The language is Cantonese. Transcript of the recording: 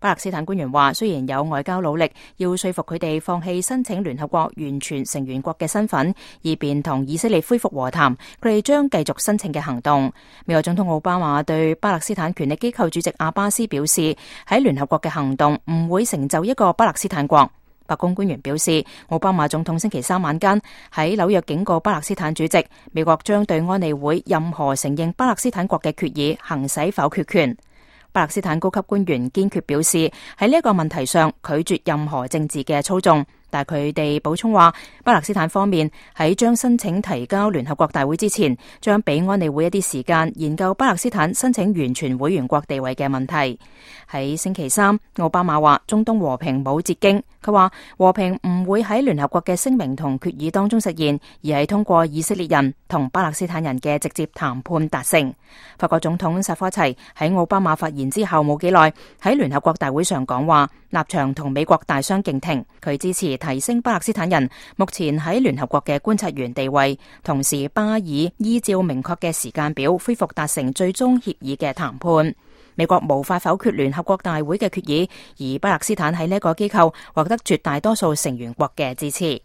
巴勒斯坦官員話，雖然有外交努力要說服佢哋放棄申請聯合國完全成員國嘅身份，以便同以色列恢復和談，佢哋將繼續申請嘅行動。美國總統奧巴馬對巴勒斯坦權力機構主席阿巴斯表示，喺聯合國嘅行動唔會成就一個巴勒斯坦國。白宮官員表示，奧巴馬總統星期三晚間喺紐約警告巴勒斯坦主席，美國將對安理會任何承認巴勒斯坦國嘅決議行使否決權。巴勒斯坦高級官員堅決表示，喺呢一個問題上拒絕任何政治嘅操縱。但佢哋補充話，巴勒斯坦方面喺將申請提交聯合國大會之前，將俾安理會一啲時間研究巴勒斯坦申請完全會員國地位嘅問題。喺星期三，奧巴馬話中東和平冇捷徑，佢話和平唔會喺聯合國嘅聲明同決議當中實現，而係通過以色列人同巴勒斯坦人嘅直接談判達成。法國總統薩科齊喺奧巴馬發言之後冇幾耐，喺聯合國大會上講話，立場同美國大相徑庭，佢支持提升巴勒斯坦人目前喺聯合國嘅觀察員地位，同時巴爾依照明確嘅時間表恢復達成最終協議嘅談判。美國無法否決聯合國大會嘅決議，而巴勒斯坦喺呢個機構獲得絕大多數成員國嘅支持。